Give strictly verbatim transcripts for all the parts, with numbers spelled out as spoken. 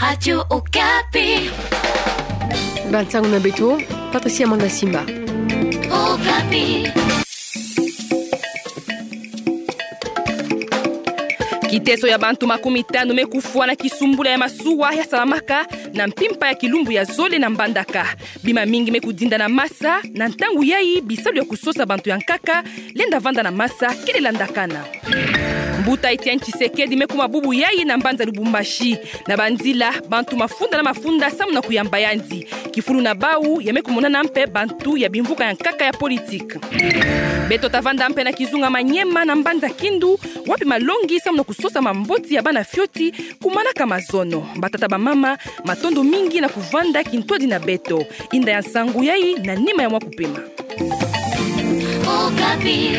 Radio Okapi. Bansangu na beto, Patricia Manda Simba. Okapi. Kiteso ya bantu makumi tanu me kufwa na kisumbula ya masuwa ya salamaka na mpimpa ya kilumbu ya zole na Mbandaka. Bima mingi me kudinda na masa, na ntangu yayi bisalu ya kusosa bantu ya nkaka lenda vanda na masa kele landakana. Mbuta Etienne Tshisekedi me kuma bubu yayi na mbanza Lubumbashi. Na banzila, bantu mafunda na mafunda samu na kuyamba yandi. Kifulu na bawu, ya me kumonana mpe bantu ya bimvuka ya nkaka ya politique. Beto ta vanda mpe na kizunga Maniema na mbanza Kindu, wapi malongi samu na kusosa mamboti ya bana fioti kumanaka mazono. Batata bamama, matondo mingi na kuvanda kintwadi na beto. Inda ya nsangu yayi na nima ya mwa kupema. Okapi.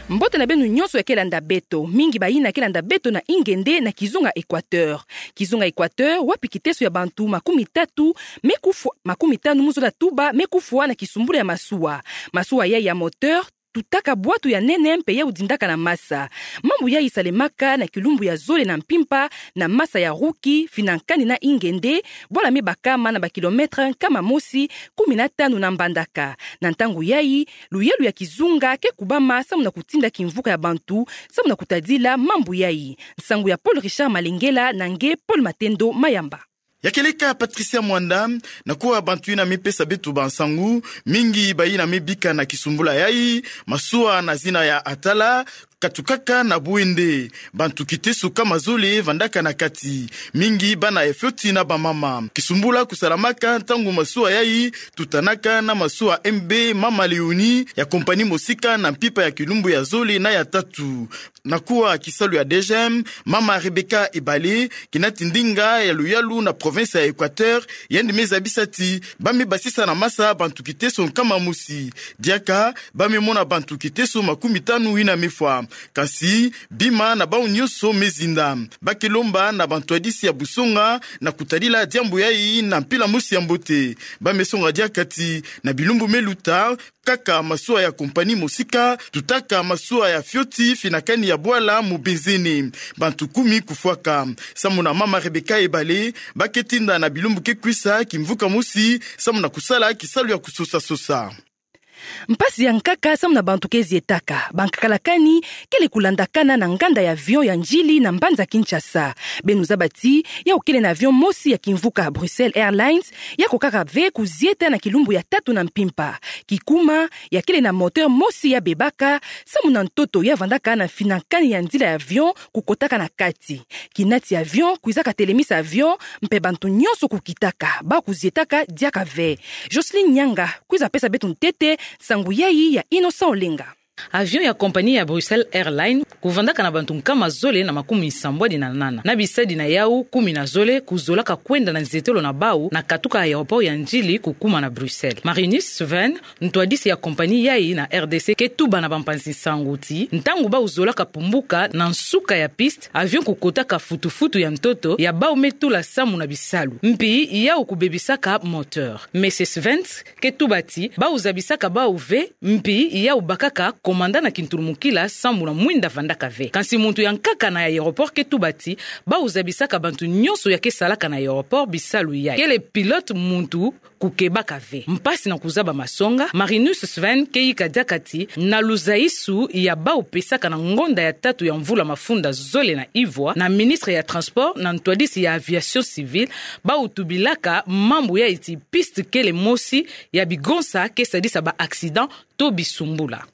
Mbote na beno nyonso ya ke landa beto, mingi bayina ke landa beto na Ingende na kizunga Equateur. Kizunga Equateur, wapi kiteso ya bantu makumi tatu me kufwa, makumi tanu mu zola tuba me kufwa na kisumbula ya masuwa. Masuwa yayi ya moteur tutaka bwatu ya nene mpe ya udindaka na masa. Mambu yayi salemaka na kilumbu ya zole na mpimpa na masa ya Ruki, finankani na Ingende, bwala me bakama na ba kilomètre nkama mosi kumi na tanu na Mbandaka. Na ntangu yayi, luyalu ya kizunga ke kubama samu na kutinda kimvuka ya bantu samu na kutadila mambu yayi. Nsangu ya Paul Richard Malengela na nge Paul Matendo Mayamba. Ya kieleka Patricia Mwanda, na kuwa bantu yina me pesa beto bansangu, mingi bayina me bika na kisumbula yayi, masuwa na zina ya Atala, katukaka na Bouende. Bantu kiteso nkama zole vandaka na kati, mingi bana ya fioti na bamama. Kisumbula kusalamaka ntangu masuwa yayi tutanaka na masuwa M B Mama Léonie ya compagnie Mosika na mpimpa ya kilumbu ya zole na ya tatu. Na kuwa kisalu ya D G M, Mama Rebecca Ebale, kinati ndinga ya luyalu na province ya Equateur, yandi me zabisa ti ba me basisa na masa bantu kiteso nkama mosi. Diaka, ba me mona bantu kiteso makumi tanu yina me fwa. Kasi, bima na bawu nyonso me zinda. Ba ke lomba na bantwadisi ya busonga na kutadila diambu yayi na mpila mosi ya mbote. Ba me songa diaka ti, na bilumbu me luta, kaka masuwa ya compagnie Mosika tutaka masuwa ya fioti finankani ya bwala Mubenzene. Bantu kumi kufwaka. Samu na Mama Rebecca Ebale, ba ke tinda na bilumbu ke kwisa kimvuka mosi samu na kusala kisalu ya kusosa-sosa. Mpasi ya nkaka samu na bantu ke zietaka. Bankakalakani kele kulandakana na nganda ya avion ya Ndjili na mbanza Kinshasa. Beno zaba ti, yawu kele na avion mosi ya kimvuka Brussels Airlines, ya kokaka ve kuzieta na kilumbu ya tatu na mpimpa. Kikuma, ya kele na moteur mosi ya bebaka, samu na ntoto ya vandaka na finankani ya nzila ya avion kukotaka na kati. Kinati avion kwizaka telemisa avion, mpe bantu nyonso kukitaka, ba kuzietaka diaka ve. Jocelyne Nyanga kwiza pesa beto ntete nsangu yayi ya Innocent Olenga. Avion ya compagnie ya Brussels Airlines kuvandaka na bantu nkama zole na makumi nsambwadi na nana. Na bisadi na yawu kumi na zole kuzolaka kwenda na nzietolo na bawu na katuka aéroport ya Ndjili kukuma na Bruxelles. Marinus Sven, ntwadisi ya compagnie yayi na R D C, ke tuba na bampanzi nsangu ti, ntangu bawu zolaka pumbuka na nsuka ya piste, avion kukotaka futufutu ya ntoto ya bawu me tula samu na bisalu. Mpi yawu kubebisaka moteur. Monsieur Sven ke tuba ti, bawu zabisaka bawu ve, mpi yawu bakaka commandant na kintulumukila samu na mwinda vandaka ve. Kansi muntu ya nkaka na aéroport ke tuba ti, bawu zabisaka bantu nyonso ya ke salaka na aéroport bisalu yayi. Kele pilote muntu kukebaka ve. Mpasi na kuzaba masonga, Marinus Sven ke yika diaka ti, na luzaisu ya bawu pesaka na ngonda ya tatu ya mvula mafunda zole na ivwa, na ministre ya transport na ntwadisi ya aviation civile, bawu tubilaka mambu yayi ti piste kele mosi ya bigonsa ke sadisa ba accident to bisumbula.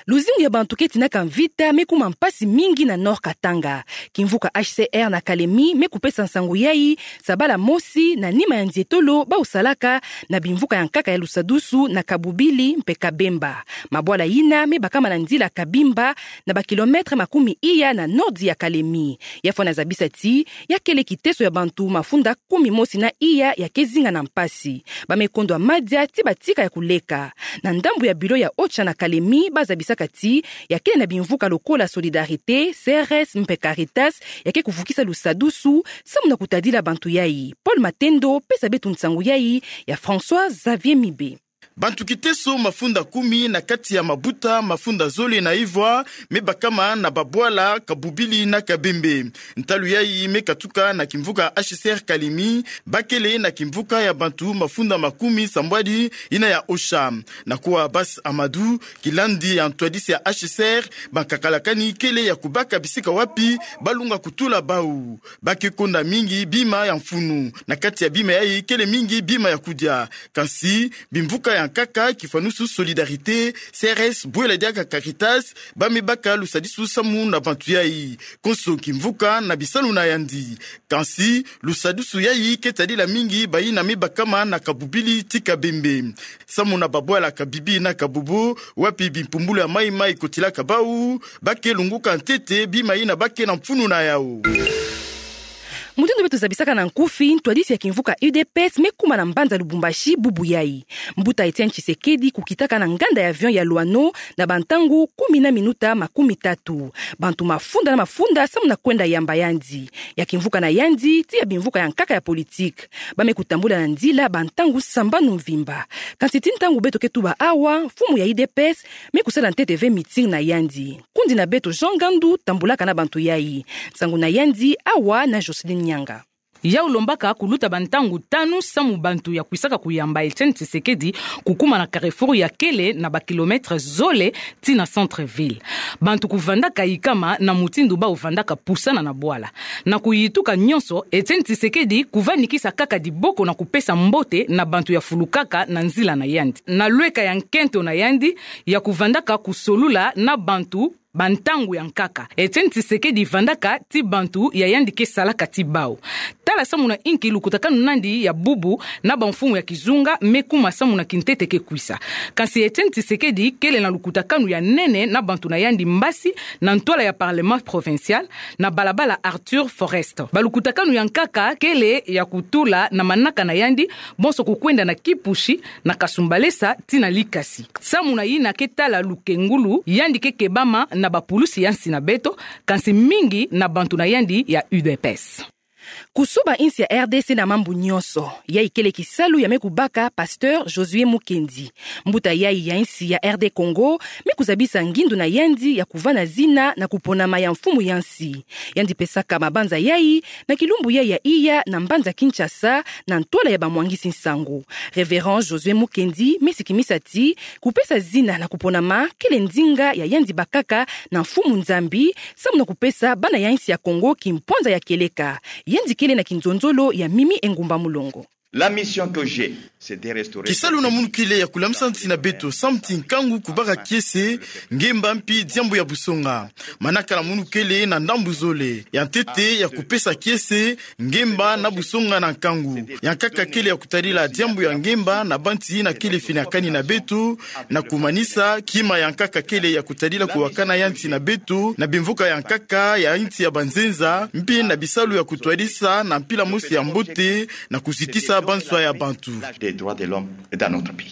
Luzingu ya bantu ke tinaka mvita me kuma mpasi mingi na Nord Katanga. Kimvuka H C R na Kalemi me kupesa nsangu yayi, sabala mosi na nima ya nzietolo bawu salaka na bimvuka ya nkaka ya lusadusu na Kabubili mpe Kabemba. Mabwala yina me bakama na nzila Kabimba na ba kilomètre makumi iya na nord ya Kalemi. Ya fwana zabisa ti, ya kele kiteso ya bantu mafunda kumi mosi na iya ya ke zinga na mpasi. Ba me kondwa madia ti batika ya kuleka. Na ndambu ya bureau ya OCHA na Kalemi, ba zabisaka ti, ya kele na bimvuka lokola Solidarité, C R S mpe Caritas, ya ke kuvukisa lusadusu samu na kutadila bantu yayi. Paul Matendo pesa beto nsangu yayi ya François Xavier Mibe. Bantu kiteso mafunda kumi na kati ya mabuta mafunda zole na ivwa me bakama na babwala Kabubili na Kabembe. Ntalu yayi me katuka na kimvuka H C R Kalemi, bakele na kimvuka ya bantu mafunda makumi sambwadi yina ya Osha. Na kuwa Abbas Amadou, kilandi ya ntwadisi ya H C R, bankakalakani kele ya kubaka bisika wapi balunga kutula bau. Ba ke konda mingi bima ya mfunu. Na kati ya bima yayi kele mingi bima ya kudia. Kansi, bimvuka ya nkaka, kifwanusu Solidarité, C R S, bwela diaka Caritas, ba me baka lusadisu samu na bantu yayi. Konso kimvuka na bisalu na yandi. Kansi, lusadisu yayi ke tadila mingi bayina me bakama na Kabubili ti Kabembe. Samu na babwala Kabibi na Kabobo, wapi bimpumbulu ya mayi-mayi kotilaka bau, ba ke lunguka ntete bima yina ba ke na mfunu na yau. Mutindu beto zabisaka na nkufi, ntwadisi ya kimvuka U D P S me kuma na mbanza Lubumbashi bubu yayi. Mbuta Etienne Tshisekedi kukitaka na nganda ya avion ya Loano na bantangu kumi na minuta makumi tatu. Bantu mafunda na mafunda samu na kwenda yamba yandi. Ya kimvuka na yandi, tii ya bimvuka ya nkaka ya politique. Ba me kutambula na nzila bantangu sambanu mvimba. Kansi tii ntangu beto ke tuba awa, mfumu ya U D P S me kusala ntete ve meeting na yandi. Kundi na beto Jean Ngandu tambulaka na bantu yayi. Nsangu na yandi awa na Jocelyne Nyanga. Yau lombaka kuluta bantangu tanu samu bantu ya kwisaka kuyamba Etienne Tshisekedi kukuma na carrefour ya kele na ba kilomètre zole tii na centre-ville. Bantu kuvandaka yikama na mutindu bau vandaka pusana na bwala. Na kuyituka nyonso, Etienne Tshisekedi kuvanikisa kaka diboko na kupesa mbote na bantu ya fulukaka na nzila na yandi. Na lweka ya nkento na yandi ya kuvandaka kusolula na bantu bantangu ya nkaka, Etienne Tshisekedi vandaka tii bantu ya yandi ke salaka tii bau. Tala samu na inki lukutakanu nandi ya bubu na bamfumu ya kizunga me kuma samu na kintete ke kwisa. Kansi Etienne Tshisekedi kele na lukutakanu ya nene na bantu na yandi mbasi na ntwala ya Parlement provincial, na balabala Arthur Forest. Balukutakanu ya nkaka kele ya kutula na manaka na yandi, bonso kukwenda na Kipushi, na Kasumbalesa tii na Likasi. Samu na yina ke tala lukengulu, yandi ke kebama na bapulusi ya nsi na beto, kansi mingi na bantu na yandi ya U D P S. Kusoba insi ya R D C na mambu nyonso, yayi kele kisalu ya me kubaka Pasteur Josué Mukendi. Mbuta yayi ya insi ya R D Congo me kuzabisa ngindu na yandi ya kuvana zina na kuponama ya mfumu ya nsi. Yandi pesaka mabanza yayi na kilumbu yayi ya iya na mbanza Kinshasa, na ntwala ya bamwangisi nsangu. Révérend Josué Mukendi me sikimisa tii kupesa zina na kuponama kele ndinga ya yandi bakaka na Mfumu Nzambi, samu na kupesa bana ya insi ya Congo kimpwanza ya kieleka. Yandi kele na kinzonzolo ya Mimi Engumba Mulongo. La mission que j'ai, c'est de restaurer. Kisalu na munu kele ya kulamisa nsi na beto samu ti nkangu, kubaka kiese, ngemba mpi diambu ya busonga. Manaka na munu kele na ndambu zole. Ya ntete ya kupesa kiese, ngemba na busonga na nkangu. Ya nkaka kele ya kutadila diambu ya ngemba na bantu yina kele finakani na beto, na kumanisa kima ya nkaka kele ya kutadila kuwakana ya nsi na beto, na bimvuka ya nkaka ya nsi ya banzenza, mpi na bisalu ya kutwadisa na mpila mosi ya mbote, na kuzitisa banswa ya bantu. Des droits de l'homme dans notre pays.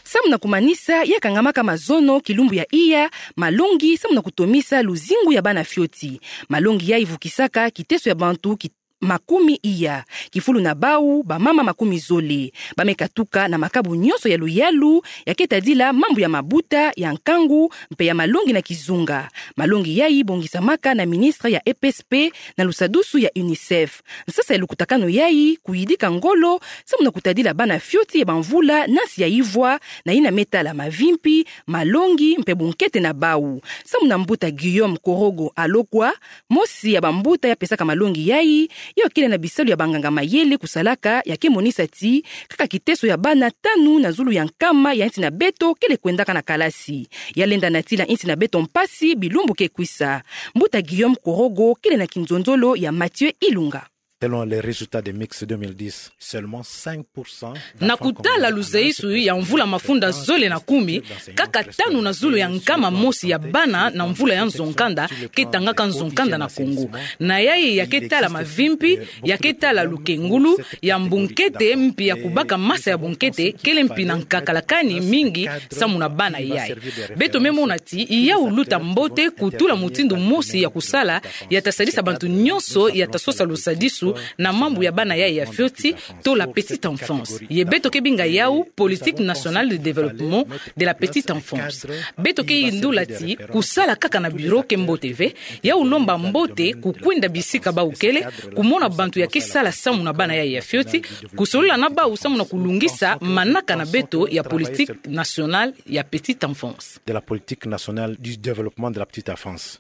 Samu na kumanisa, ya kangamaka mazono kilumbu ya iya, malongi samu na kutomisa luzingu ya bana fioti. Malongi yayi vukisaka kiteso ya bantu ki-, makumi iya, kifulu na bau, bamama makumi zole. Ba me katuka na makabu nyonso ya luyalu, ya ke tadila mambu ya mabuta, ya nkangu, mpe ya malongi na kizunga. Malongi yayi bongisamaka na ministre ya E P S P na lusadusu ya UNICEF. Nsasa ya lukutakanu yayi, kuyidika ngolo, samu na kutadila bana fioti ya bamvula na nsi ya ivwa, na yina me tala mavimpi, malongi, mpe bunkete na bau. Samu na mbuta Guillaume Korogo Alokwa, mosi ya bambuta ya pesaka malongi yayi, yo kele na bisalu ya banganga-mayele kusalaka, ya ke monisa ti kaka kiteso ya bana tanu na zulu ya nkama ya nsi na beto kele kwendaka na kalasi. Ya lenda natila nsi na beto mpasi bilumbu ke kwisa. Mbuta Guillaume Korogo kele na kinzonzolo ya Mathieu Ilunga. Selon les résultats de mix deux mille dix, seulement cinq pour cent. Na kutala luzayisu ya mvula mafunda zole na kumi, kaka tanu na zulu ya nkama mosi ya bana na mvula ya nzo-nkanda ke tangaka nzo-nkanda na Congo. Na yayi ya ke tala mavimpi, ya ke tala lukengulu, ya bunkete mpi ya kubaka masa ya bunkete, kele mpi na nkakalakani mingi samu na bana yayi. Beto me mona ti yau luta mbote kutula mutindu mosi ya kusala, ya ta sadisa bantu nyonso ya ta sosa lusadisu na mambu ya bana yayi ya fioti, to la petite enfance. Ye beto ke binga yawu politique nationale de développement de la petite enfance. Beto ke yindula ti kusala kaka na bureau ke mbote ve, yawu lomba mbote kukwenda bisika bawu kele, kumona bantu ya ke sala samu na bana yayi ya fioti, kusolola na bawu samu na kulungisa manaka na beto ya politique nationale ya petite enfance. De la politique nationale du développement de la petite enfance.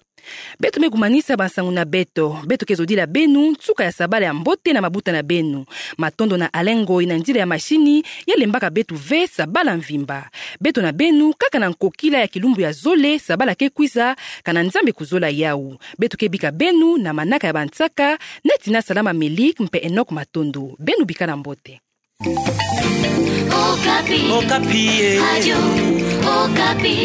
Beto me kumanisa bansangu na beto. Beto ke zodila beno nsuka ya sabala ya mbote na mabuta na beno. Matondo na Alain Ngoyi na nzila ya mashini, ya lembaka beto ve sabala mvimba. Beto na beno kaka na nkokila ya kilumbu ya zole, sabala ke kwiza, kana Nzambi kuzola yawu. Beto ke bika beno na manaka ya bansaka, neti na Salama Melik mpe Enoch Matondo. Beno bikala mbote. Okapi. Okapi, eh. Radio Okapi.